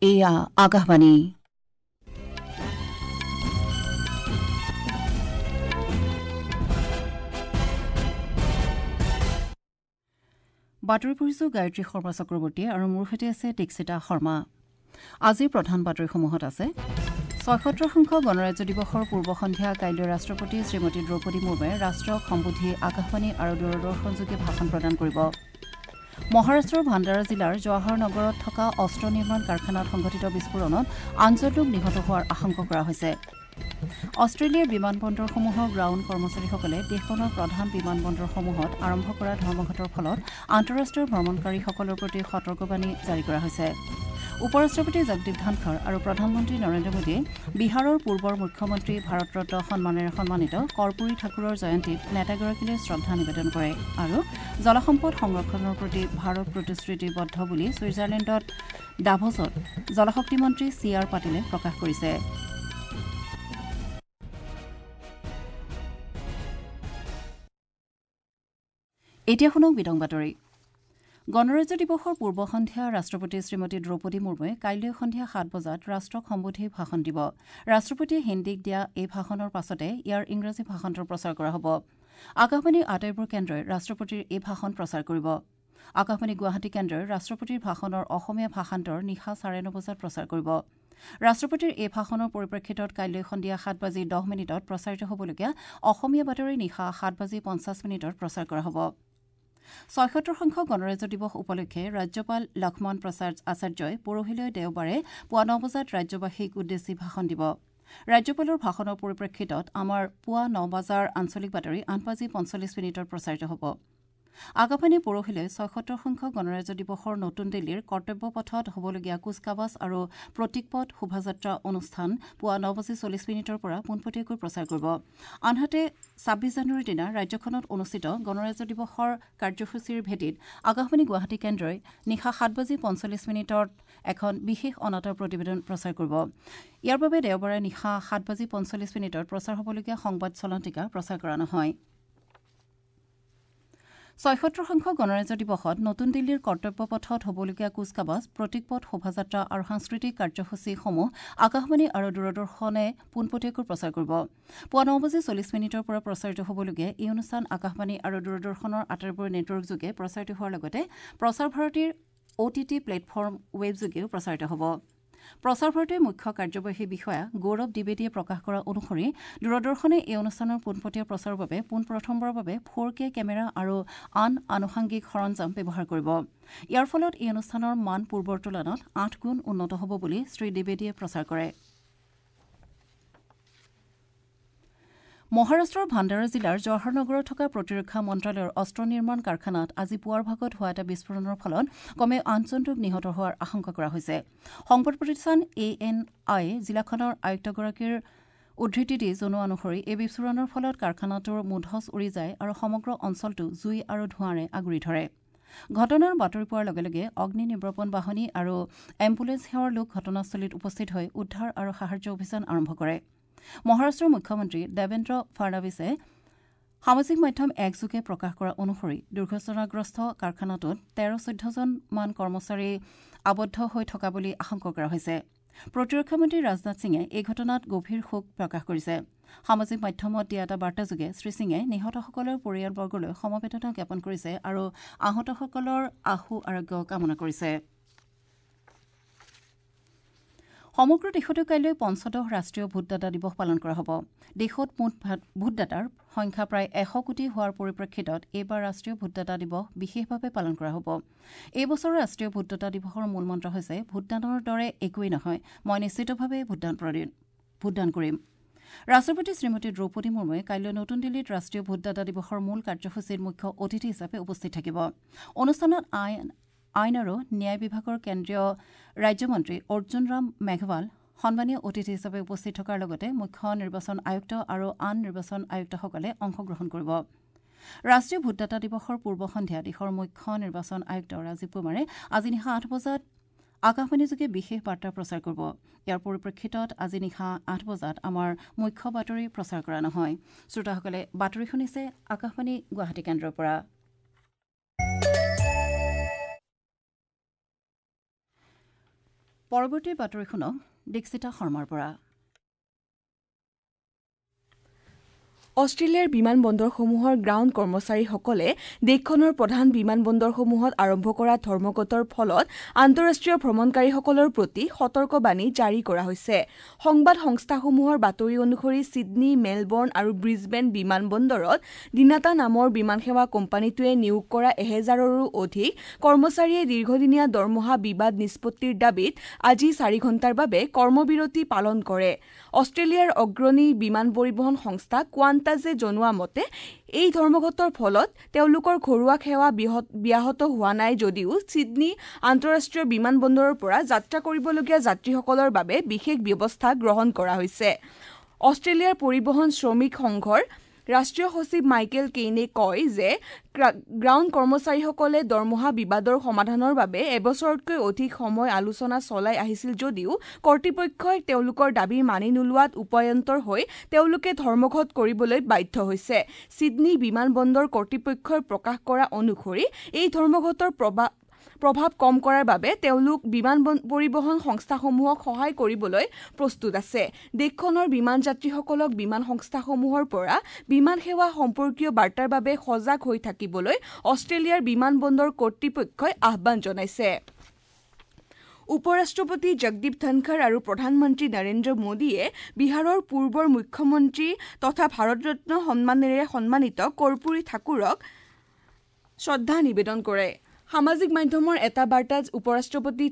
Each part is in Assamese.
এয়া আকাশবাণী। বাতৰি পঢ়িছো গায়ত্ৰী শৰ্মা চক্ৰৱৰ্তী আৰু মোৰ সৈতে আছে দীক্ষিতা শৰ্মা। আজিৰ প্ৰধান বাতৰিসমূহত আছে ৭৬ সংখ্যক গণৰাজ্য দিৱসৰ পূৰ্ব সন্ধিয়া কাইলৈ ৰাষ্ট্ৰপতি শ্ৰীমতী দ্ৰৌপদী মুৰ্মুৱে ৰাষ্ট্ৰক সম্বোধি আকাশবাণী আৰু দূৰদৰ্শনযোগে ভাষণ প্ৰদান কৰিব। মহাৰাষ্ট্ৰৰ ভাণ্ডাৰা জিলাৰ জৱাহৰ নগৰত থকা অস্ত্ৰ নিৰ্মাণ কাৰখানাত সংঘটিত বিস্ফোৰণত ৮জন লোক নিহত হোৱাৰ আশংকা কৰা হৈছে। অষ্ট্ৰেলিয়াৰ বিমানবন্দৰসমূহৰ গ্ৰাউণ্ড কৰ্মচাৰীসকলে দেশখনৰ প্ৰধান বিমানবন্দৰসমূহত আৰম্ভ কৰা ধৰ্মঘটৰ ফলত আন্তঃৰাষ্ট্ৰীয় ভ্ৰমণকাৰীসকলৰ প্ৰতি সতৰ্কবাণী জাৰি কৰা হৈছে। উপ-ৰাষ্ট্ৰপতি জগদীপ ধনখৰ আৰু প্ৰধানমন্ত্ৰী নৰেন্দ্ৰ মোদীয়ে বিহাৰৰ পূৰ্বৰ মুখ্যমন্ত্ৰী ভাৰতৰত্ন সন্মানেৰে সন্মানিত কৰ্পূৰী ঠাকুৰৰ জয়ন্তীত নেতাগৰাকীলৈ শ্ৰদ্ধা নিবেদন কৰে আৰু জলসম্পদ সংৰক্ষণৰ প্ৰতি ভাৰত প্ৰতিশ্ৰুতিবদ্ধ বুলি ছুইজাৰলেণ্ডত ডাভছত জলশক্তি মন্ত্ৰী চি আৰ পাটিলে প্ৰকাশ কৰিছে। এতিয়া শুনক বিতং বাতৰি। গণৰাজ্য দিৱসৰ পূৰ্ব সন্ধিয়া ৰাষ্ট্ৰপতি শ্ৰীমতী দ্ৰৌপদী মুৰ্মুৱে কাইলৈ সন্ধিয়া ৭ বজাত ৰাষ্ট্ৰক সম্বোধি ভাষণ দিব। ৰাষ্ট্ৰপতিয়ে হিন্দীত দিয়া এই ভাষণৰ পাছতে ইয়াৰ ইংৰাজী ভাষান্তৰ প্ৰচাৰ কৰা হ'ব। আকাশবাণীৰ আটাইবোৰ কেন্দ্ৰই ৰাষ্ট্ৰপতিৰ এই ভাষণ প্ৰচাৰ কৰিব। আকাশবাণী গুৱাহাটী কেন্দ্ৰই ৰাষ্ট্ৰপতিৰ ভাষণৰ অসমীয়া ভাষান্তৰ নিশা ৯:৩০ বজাত প্ৰচাৰ কৰিব। ৰাষ্ট্ৰপতিৰ এই ভাষণৰ পৰিপ্ৰেক্ষিতত কাইলৈ সন্ধিয়া ৭:১০ প্ৰচাৰিত হ'বলগীয়া অসমীয়া বাতৰি নিশা ৭:৫০ প্ৰচাৰ কৰা হ'ব। ৭৬ সংখ্যক গণৰাজ্য দিৱস উপলক্ষে ৰাজ্যপাল লক্ষ্মণ প্ৰসাদ আচাৰ্যই পৰহিলৈ দেওবাৰে পুৱা ৯ বজাত ৰাজ্যবাসীক উদ্দেশ্যি ভাষণ দিব। ৰাজ্যপালৰ ভাষণৰ পৰিপ্ৰেক্ষিতত আমাৰ পুৱা ৯ বজাৰ আঞ্চলিক বাতৰি ৮:৪৫ প্ৰচাৰিত হ'ব। আকাশবাণীয়ে পৰহিলৈ ৭৬ সংখ্যক গণৰাজ্য দিৱসৰ নতুন দিল্লীৰ কৰ্তব্য পথত হ'বলগীয়া কুচকাৱাজ আৰু প্ৰতীকপট শোভাযাত্ৰা অনুষ্ঠান পুৱা ৯:৪০ পৰা পোনপটীয়াকৈ প্ৰচাৰ কৰিব। আনহাতে ২৬ জানুৱাৰীৰ দিনা ৰাজ্যখনত অনুষ্ঠিত গণৰাজ্য দিৱসৰ কাৰ্যসূচীৰ ভেটিত আকাশবাণী গুৱাহাটী কেন্দ্ৰই নিশা ৭:৪৫ এখন বিশেষ অনাতাঁৰ প্ৰতিবেদন প্ৰচাৰ কৰিব। ইয়াৰ বাবে দেওবাৰে নিশা ৭:৪৫ প্ৰচাৰ হ'বলগীয়া সংবাদ চলন্তিকা প্ৰচাৰ কৰা নহয়। ৭৬ সংখ্যক গণৰাজ্য দিৱসত নতুন দিল্লীৰ কৰ্তব্য পথত হ'বলগীয়া কুচকাৱাজ, প্ৰতীকপট শোভাযাত্ৰা আৰু সাংস্কৃতিক কাৰ্যসূচীসমূহ আকাশবাণী আৰু দূৰদৰ্শনে পোনপটীয়াকৈ প্ৰচাৰ কৰিব। পুৱা ৯:৪০ পৰা প্ৰচাৰিত হ'বলগীয়া এই অনুষ্ঠান আকাশবাণী আৰু দূৰদৰ্শনৰ আটাইবোৰ নেটৱৰ্কযোগে প্ৰচাৰিত হোৱাৰ লগতে প্ৰচাৰ ভাৰতীৰ অ'টিটি প্লেটফৰ্ম ৱেবযোগেও প্ৰচাৰিত হ'ব। প্ৰচাৰ ভাৰতীৰ মুখ্য কাৰ্যবাহী বিষয়া গৌৰৱ দ্বিবেদীয়ে প্ৰকাশ কৰা অনুসৰি দূৰদৰ্শনে এই অনুষ্ঠানৰ পোনপটীয়া প্ৰচাৰৰ বাবে পোনপ্ৰথমবাৰৰ বাবে 4K camera আৰু আন আনুষংগিক সৰঞ্জাম ব্যৱহাৰ কৰিব। ইয়াৰ ফলত এই অনুষ্ঠানৰ মান পূৰ্বৰ তুলনাত ৮ গুণ উন্নত হ'ব বুলি শ্ৰী দ্বিবেদীয়ে প্ৰচাৰ কৰে। মহাৰাষ্ট্ৰৰ ভাণ্ডাৰা জিলাৰ জৱাহৰ নগৰত থকা প্ৰতিৰক্ষা মন্ত্ৰালয়ৰ অস্ত্ৰ নিৰ্মাণ কাৰখানাত আজি পুৱাৰ ভাগত হোৱা এটা বিস্ফোৰণৰ ফলত কমেও ৮জন লোক নিহত হোৱাৰ আশংকা কৰা হৈছে। সংবাদ প্ৰতিষ্ঠান এ এন আই জিলাখনৰ আয়ুক্তগৰাকীৰ উদ্ধৃতি দি জনোৱা অনুসৰি এই বিস্ফোৰণৰ ফলত কাৰখানাটোৰ মুধচ উৰি যায় আৰু সমগ্ৰ অঞ্চলটো জুই আৰু ধোঁৱাৰে আগুৰি ধৰে। ঘটনাৰ বাতৰি পোৱাৰ লগে লগে অগ্নি নিৰ্বাপন বাহিনী আৰু এম্বুলেন্স সেৱাৰ লোক ঘটনাস্থলীত উপস্থিত হৈ উদ্ধাৰ আৰু সাহায্য অভিযান আৰম্ভ কৰে। মহাৰাষ্ট্ৰৰ মুখ্যমন্ত্ৰী দেৱেন্দ্ৰ ফাড়নাভিছে সামাজিক মাধ্যম একযোগে প্ৰকাশ কৰা অনুসৰি দুৰ্ঘটনাগ্ৰস্ত কাৰখানাটোত ১৩-১৪জনমান কৰ্মচাৰী আবদ্ধ হৈ থকা বুলি আশংকা কৰা হৈছে। প্ৰতিৰক্ষা মন্ত্ৰী ৰাজনাথ সিঙে এই ঘটনাত গভীৰ শোক প্ৰকাশ কৰিছে। সামাজিক মাধ্যমত দিয়া এটা বাৰ্তাযোগে শ্ৰীসিঙে নিহতসকলৰ পৰিয়ালবৰ্গলৈ সমবেদনা জ্ঞাপন কৰিছে আৰু আহতসকলৰ আশু আৰোগ্য কামনা কৰিছে। সমগ্ৰ দেশতে কাইলৈ ১৫ ৰাষ্ট্ৰীয় ভোটদাতা দিৱস পালন কৰা হ'ব। দেশত মুঠ ভোটদাতাৰ সংখ্যা প্ৰায় ১০০ কোটি হোৱাৰ পৰিপ্ৰেক্ষিতত এইবাৰ ৰাষ্ট্ৰীয় ভোটদাতা দিৱস বিশেষভাৱে পালন কৰা হ'ব। এই বছৰৰ ৰাষ্ট্ৰীয় ভোটদাতা দিৱসৰ মূল মন্ত্ৰ হৈছে ভোটদানৰ দৰে একোৱেই নহয়, মই নিশ্চিতভাৱে ভোটদান কৰিম। ৰাষ্ট্ৰপতি শ্ৰীমতী দ্ৰৌপদী মুৰ্মুৱে কাইলৈ নতুন দিল্লীত ৰাষ্ট্ৰীয় ভোটদাতা দিৱসৰ মূল কাৰ্যসূচীত মুখ্য অতিথি হিচাপে উপস্থিত থাকিব। অনুষ্ঠানত আইন আৰু ন্যায় বিভাগৰ কেন্দ্ৰীয় ৰাজ্যমন্ত্ৰী অৰ্জুন ৰাম মেঘৱাল সন্মানীয় অতিথি হিচাপে উপস্থিত থকাৰ লগতে মুখ্য নিৰ্বাচন আয়ুক্ত আৰু আন নিৰ্বাচন আয়ুক্তসকলে অংশগ্ৰহণ কৰিব। ৰাষ্ট্ৰীয় ভোটদাতা দিৱসৰ পূৰ্ব সন্ধিয়া দেশৰ মুখ্য নিৰ্বাচন আয়ুক্ত ৰাজীৱ কুমাৰে আজি নিশা ৮ বজাত আকাশবাণীযোগে বিশেষ বাৰ্তা প্ৰচাৰ কৰিব। ইয়াৰ পৰিপ্ৰেক্ষিতত আজি নিশা ৮ বজাত আমাৰ মুখ্য বাতৰি প্ৰচাৰ কৰা নহয়। শ্ৰোতাসকলে বাতৰি শুনিছে আকাশবাণী গুৱাহাটী কেন্দ্ৰৰ পৰা। পৰৱৰ্তী বাতৰি শুনক দীক্ষিতা শৰ্মাৰ পৰা। অষ্ট্ৰেলিয়াৰ বিমানবন্দৰসমূহৰ গ্ৰাউণ্ড কৰ্মচাৰীসকলে দেশখনৰ প্ৰধান বিমানবন্দৰসমূহত আৰম্ভ কৰা ধৰ্মঘটৰ ফলত আন্তঃৰাষ্ট্ৰীয় ভ্ৰমণকাৰীসকলৰ প্ৰতি সতৰ্কবাণী জাৰি কৰা হৈছে। সংবাদ সংস্থাসমূহৰ বাতৰি অনুসৰি ছিডনী, মেলবৰ্ণ আৰু ব্ৰিছবেন বিমানবন্দৰত ডিনাটা নামৰ বিমানসেৱা কোম্পানীটোৱে নিয়োগ কৰা 1000ৰো অধিক কৰ্মচাৰীয়ে দীৰ্ঘদিনীয়া দৰমহা বিবাদ নিষ্পত্তিৰ দাবীত আজি 4 ঘণ্টাৰ বাবে কৰ্মবিৰতি পালন কৰে। অষ্ট্ৰেলিয়াৰ অগ্ৰণী বিমান পৰিবহণ সংস্থা কোৱান্টাজে জনোৱা মতে এই ধৰ্মঘটৰ ফলত তেওঁলোকৰ ঘৰুৱা সেৱা ব্যাহত হোৱা নাই যদিও ছিডনী আন্তঃৰাষ্ট্ৰীয় বিমানবন্দৰৰ পৰা যাত্ৰা কৰিবলগীয়া যাত্ৰীসকলৰ বাবে বিশেষ ব্যৱস্থা গ্ৰহণ কৰা হৈছে। অষ্ট্ৰেলিয়াৰ পৰিবহণ শ্ৰমিক সংঘৰ ৰাষ্ট্ৰীয় সচিব মাইকেল কেইনে কয় যে গ্ৰাউণ্ড কৰ্মচাৰীসকলে দৰমহা বিবাদৰ সমাধানৰ বাবে এবছৰতকৈ অধিক সময় আলোচনা চলাই আহিছিল যদিও কৰ্তৃপক্ষই তেওঁলোকৰ দাবী মানি নোলোৱাত উপায়ন্তৰ হৈ তেওঁলোকে ধৰ্মঘট কৰিবলৈ বাধ্য হৈছে। ছিডনী বিমানবন্দৰ কৰ্তৃপক্ষই প্ৰকাশ কৰা অনুসৰি এই ধৰ্মঘটৰ প্ৰভাৱ কম কৰাৰ বাবে তেওঁলোক বিমান পৰিবহণ সংস্থাসমূহক সহায় কৰিবলৈ প্ৰস্তুত আছে। দেশখনৰ বিমান যাত্ৰীসকলক বিমান সংস্থাসমূহৰ পৰা বিমান সেৱা সম্পৰ্কীয় বাৰ্তাৰ বাবে সজাগ হৈ থাকিবলৈ অষ্ট্ৰেলিয়াৰ বিমানবন্দৰ কৰ্তৃপক্ষই আহ্বান জনাইছে। উপ-ৰাষ্ট্ৰপতি জগদীপ ধনখৰ আৰু প্ৰধানমন্ত্ৰী নৰেন্দ্ৰ মোদীয়ে বিহাৰৰ পূৰ্বৰ মুখ্যমন্ত্ৰী তথা ভাৰতৰত্ন সন্মানেৰে সন্মানিত কৰ্পূৰী ঠাকুৰক শ্ৰদ্ধা নিবেদন কৰে। সামাজিক মাধ্যমৰ এটা বাৰ্তাত উপ-ৰাষ্ট্ৰপতি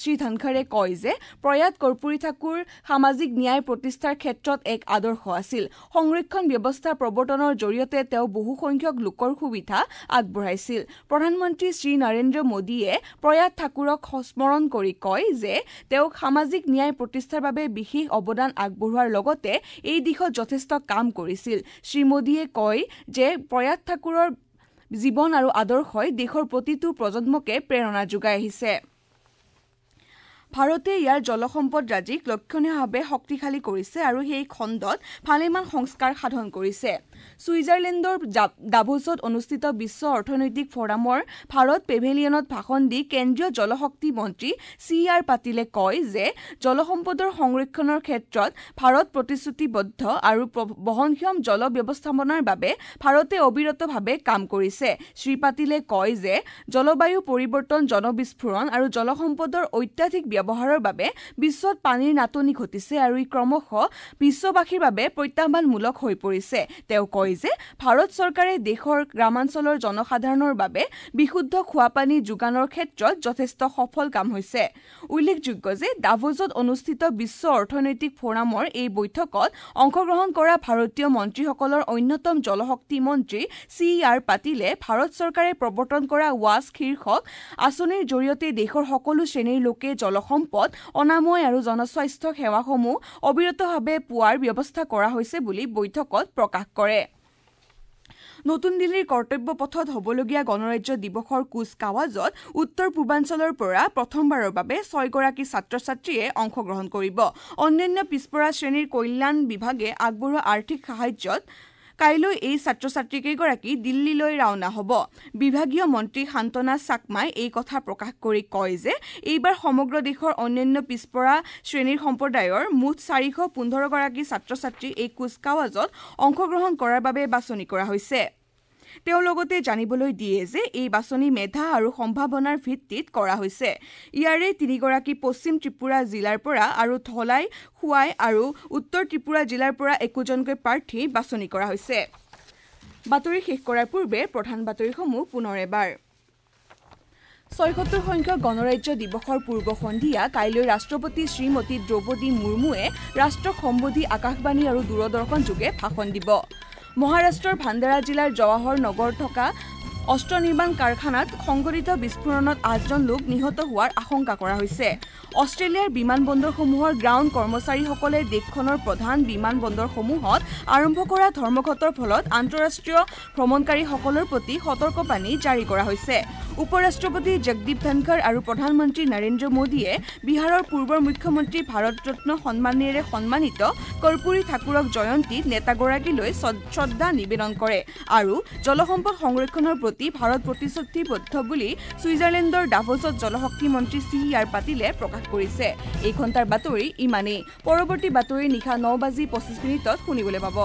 শ্ৰী ধনখৰে কয় যে প্ৰয়াত কৰ্পূৰী ঠাকুৰ সামাজিক ন্যায় প্ৰতিষ্ঠাৰ ক্ষেত্ৰত এক আদৰ্শ আছিল। সংৰক্ষণ ব্যৱস্থা প্ৰৱৰ্তনৰ জৰিয়তে তেওঁ বহুসংখ্যক লোকৰ সুবিধা আগবঢ়াইছিল। প্ৰধানমন্ত্ৰী শ্ৰী নৰেন্দ্ৰ মোদীয়ে প্ৰয়াত ঠাকুৰক স্মৰণ কৰি কয় যে তেওঁক সামাজিক ন্যায় প্ৰতিষ্ঠাৰ বাবে বিশেষ অৱদান আগবঢ়োৱাৰ লগতে এই দিশত যথেষ্ট কাম কৰিছিল। শ্ৰী মোদীয়ে কয় যে প্ৰয়াত ঠাকুৰৰ জীৱন আৰু আদৰ্শই দেশৰ প্ৰতিটো প্ৰজন্মকে প্ৰেৰণা যোগাই আহিছে। ভাৰতে ইয়াৰ জলসম্পদ ৰাজিক লক্ষণীয়ভাৱে শক্তিশালী কৰিছে আৰু সেই খণ্ডত ভালেমান সংস্কাৰ সাধন কৰিছে। ছুইজাৰলেণ্ডৰ ডাভোছত অনুষ্ঠিত বিশ্ব অৰ্থনৈতিক ফ'ৰামৰ ভাৰত পেভেলিয়নত ভাষণ দি কেন্দ্ৰীয় জলশক্তি মন্ত্ৰী চি আৰ পাটিলে কয় যে জলসম্পদৰ সংৰক্ষণৰ ক্ষেত্ৰত ভাৰত প্ৰতিশ্ৰুতিবদ্ধ আৰু বহনক্ষম জল ব্যৱস্থাপনাৰ বাবে ভাৰতে অবিৰতভাৱে কাম কৰিছে। শ্ৰী পাটিলে কয় যে জলবায়ু পৰিৱৰ্তন, জনবিস্ফোৰণ আৰু জলসম্পদৰ অত্যাধিক ব্যৱহাৰৰ বাবে বিশ্বত পানীৰ নাটনি ঘটিছে আৰু ই ক্ৰমশঃ বিশ্ববাসীৰ বাবে প্ৰত্যাহ্বানমূলক হৈ পৰিছে। তেওঁ কয় যে ভাৰত চৰকাৰে দেশৰ গ্ৰামাঞ্চলৰ জনসাধাৰণৰ বাবে বিশুদ্ধ খোৱাপানী যোগানৰ ক্ষেত্ৰত যথেষ্ট সফল কাম হৈছে। উল্লেখযোগ্য যে ডাভোজত অনুষ্ঠিত বিশ্ব অৰ্থনৈতিক ফ'ৰামৰ এই বৈঠকত অংশগ্ৰহণ কৰা ভাৰতীয় মন্ত্ৰীসকলৰ অন্যতম জলশক্তি মন্ত্ৰী চি আৰ পাটিলে ভাৰত চৰকাৰে প্ৰৱৰ্তন কৰা ৱাছ শীৰ্ষক আঁচনিৰ জৰিয়তে দেশৰ সকলো শ্ৰেণীৰ লোকে জলসম্পদ, অনাময় আৰু জনস্বাস্থ্য সেৱাসমূহ অবিৰতভাৱে পোৱাৰ ব্যৱস্থা কৰা হৈছে বুলি বৈঠকত প্ৰকাশ কৰে। নতুন দিল্লীৰ কৰ্তব্য পথত হ'বলগীয়া গণৰাজ্য দিৱসৰ কুচকাৱাজত উত্তৰ পূৰ্বাঞ্চলৰ পৰা প্ৰথমবাৰৰ বাবে 6গৰাকী ছাত্ৰ ছাত্ৰীয়ে অংশগ্ৰহণ কৰিব। অন্যান্য পিছপৰা শ্ৰেণীৰ কল্যাণ বিভাগে আগবঢ়োৱা আৰ্থিক সাহায্যত কাইলৈ এই ছাত্ৰ ছাত্ৰীকেইগৰাকী দিল্লীলৈ ৰাওনা হ'ব। বিভাগীয় মন্ত্ৰী শান্তনা চাকমাই এই কথা প্ৰকাশ কৰি কয় যে এইবাৰ সমগ্ৰ দেশৰ অন্যান্য পিছপৰা শ্ৰেণীৰ সম্প্ৰদায়ৰ মুঠ 415গৰাকী ছাত্ৰ ছাত্ৰী এই কুচকাৱাজত অংশগ্ৰহণ কৰাৰ বাবে বাছনি কৰা হৈছে। তেওঁ লগতে জানিবলৈ দিয়ে যে এই বাছনি মেধা আৰু সম্ভাৱনাৰ ভিত্তিত কৰা হৈছে। ইয়াৰে 3গৰাকী পশ্চিম ত্ৰিপুৰা জিলাৰ পৰা আৰু ধলাই, খোৱাই আৰু উত্তৰ ত্ৰিপুৰা জিলাৰ পৰা একোজনকৈ প্ৰাৰ্থী বাছনি কৰা হৈছে। বাতৰি শেষ কৰাৰ পূৰ্বে প্ৰধান বাতৰিসমূহ পুনৰ এবাৰ। 76 সংখ্যক গণৰাজ্য দিৱসৰ পূৰ্ব সন্ধিয়া কাইলৈ ৰাষ্ট্ৰপতি শ্ৰীমতী দ্ৰৌপদী মুৰ্মুৱে ৰাষ্ট্ৰক সম্বোধি আকাশবাণী আৰু দূৰদৰ্শন যোগে ভাষণ দিব। মহাৰাষ্ট্ৰৰ ভাণ্ডাৰা জিলাৰ জৱাহৰ নগৰ থকা অস্ত্ৰ নিৰ্মাণ কাৰখানাত সংঘটিত বিস্ফোৰণত 8জন লোক নিহত হোৱাৰ আশংকা কৰা হৈছে। অষ্ট্ৰেলিয়াৰ বিমানবন্দৰসমূহৰ গ্ৰাউণ্ড কৰ্মচাৰীসকলে দেশখনৰ প্ৰধান বিমানবন্দৰসমূহত আৰম্ভ কৰা ধৰ্মঘটৰ ফলত আন্তঃৰাষ্ট্ৰীয় ভ্ৰমণকাৰীসকলৰ প্ৰতি সতৰ্কবাণী জাৰি কৰা হৈছে। উপ-ৰাষ্ট্ৰপতি জগদীপ ধনখৰ আৰু প্ৰধানমন্ত্ৰী নৰেন্দ্ৰ মোদীয়ে বিহাৰৰ পূৰ্বৰ মুখ্যমন্ত্ৰী ভাৰতৰত্ন সন্মানেৰে সন্মানিত কৰ্পূৰী ঠাকুৰক জয়ন্তীত নেতাগৰাকীলৈ শ্ৰদ্ধা নিবেদন কৰে আৰু জলসম্পদ সংৰক্ষণৰ প্ৰতি প্ৰতি ভাৰত প্ৰতিশ্ৰুতিবদ্ধ বুলি ছুইজাৰলেণ্ডৰ ডাভোছত জলশক্তি মন্ত্ৰী চি আৰ পাটিলে প্ৰকাশ কৰিছে। এই ঘণ্টাৰ বাতৰি ইমানেই। পৰৱৰ্তী বাতৰি নিশা 9:25 শুনিবলৈ পাব।